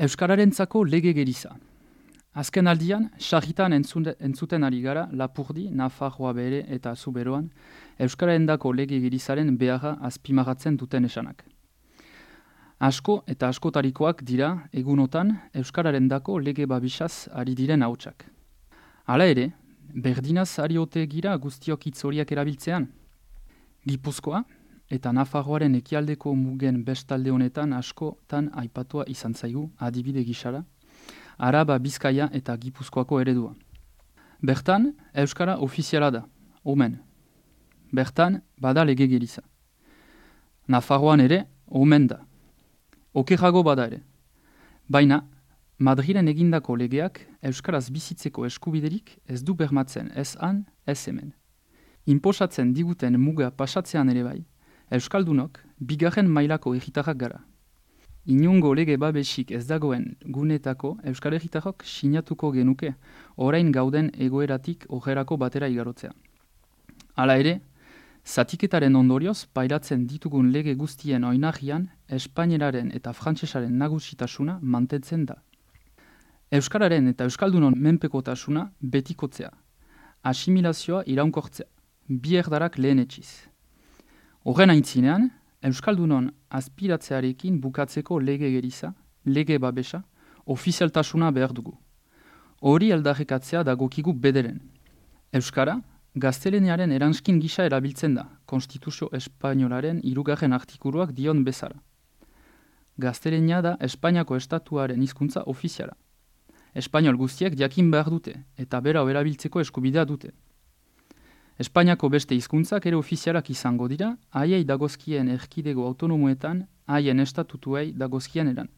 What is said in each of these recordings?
Euskararentzako lege geriza. Azken aldian, sarritan entzuten ari gara Lapurdi, Nafarroa bere eta Zuberoan, Euskararendako lege gerizaren beharra azpimarratzen duten esanak. Asko eta askotarikoak dira egunotan Euskararendako lege babisaz ari diren hautsak. Hala ere, berdinaz ari ote gira guztiok hitz horiak erabiltzean. Gipuzkoa eta Nafarroaren ekialdeko mugen bestalde honetan askotan aipatua izan zaigu adibide gisara, Araba, Bizkaia eta Gipuzkoako eredua. Bertan, Euskara ofiziala da, omen. Bertan, bada lege geriza. Nafarroan ere, omen da. Okerrago bada ere. Baina, Madrilen egindako legeak Euskaraz bizitzeko eskubiderik ez du bermatzen ez han, ez hemen. Inposatzen diguten muga pasatzean ere bai, Euskaldunok bigarren mailako herritarrak gara. Inungo lege babesik ez dagoen gunetako Euskal Herritarrok sinatuko genuke orain gauden egoeratik ojerako batera igarotzea. Hala ere, zatiketaren ondorioz pairatzen ditugun lege guztien oinarrian espaineraren eta frantsesaren nagusitasuna mantentzen da. Euskararen eta Euskaldunon menpekotasuna betikotzea, asimilazioa iraunkortzea, bi erdarak lehenetsiz. Horren aintzinean, Euskaldunon aspiratzearekin bukatzeko lege geriza, lege babesa, ofizialtasuna behar dugu. Hori aldarrikatzea dagokigu bederen. Euskara, gaztelaniaren eranskin gisa erabiltzen da, Konstituzio Espainolaren 3. artikuluak dion bezala. Gaztelania da Espainiako estatuaren hizkuntza ofiziala. Espainol guztiek jakin behar dute, eta bera erabiltzeko eskubidea dute. Espainiako beste hizkuntzak ere ofizialak izango dira, haiei dagozkien erkidego autonomoetan, haien estatutuei dagozkien eran.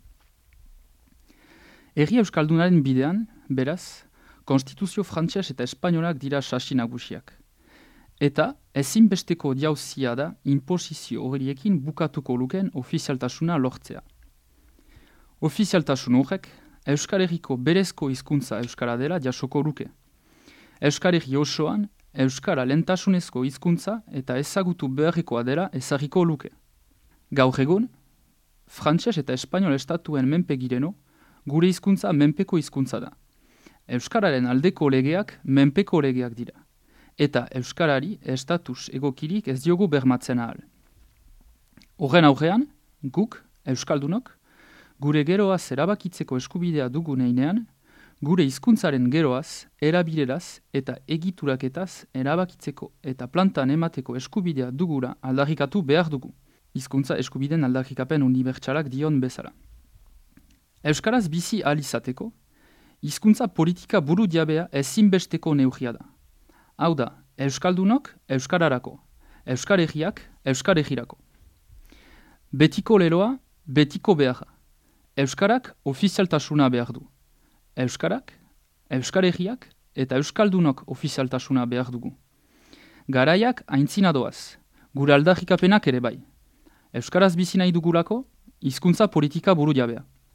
Herri Euskaldunaren bidean, beraz, Konstituzio frantses eta espainolak dira sasi nagusiak. Eta ezinbesteko jauzia da inposizio horiekin bukatuko luken ofizialtasuna lortzea. Ofizialtasun horrek, Euskal Herriko berezko hizkuntza Euskara dela jasoko luke. Euskal Herri osoan, Euskara lentasunezko hizkuntza eta ezagutu beharrekoa dela ezarriko luke. Gaur egun, frantses eta espainol estatuen menpe gireno, gure hizkuntza menpeko hizkuntza da. Euskararen aldeko legeak menpeko legeak dira. Eta Euskarari estatus egokirik ez diogu bermatzen ahal. Horren aurrean, guk, Euskaldunok, gure geroaz erabakitzeko eskubidea dugun heinean, gure hizkuntzaren geroaz, erabileraz eta egituraketaz erabakitzeko eta plantan emateko eskubidea dugura aldarrikatu behar dugu. Hizkuntza eskubideen aldarrikapen unibertsalak dion bezala. Euskaraz bizi ahal izateko, hizkuntza politika buru diabea ezinbesteko neurria da. Hau da, Euskaldunok Euskararako, Euskal Herriak Euskal Herrirako. Betiko leloa, betiko beharra. Euskarak ofizialtasuna behar du. Euskarak, Euskal Herriak eta Euskaldunok ofizialtasuna behar dugu. Garaiak aintzina doaz, gure aldarrikapenak ere bai. Euskaraz bizi nahi dugulako, hizkuntza politika buru jabea.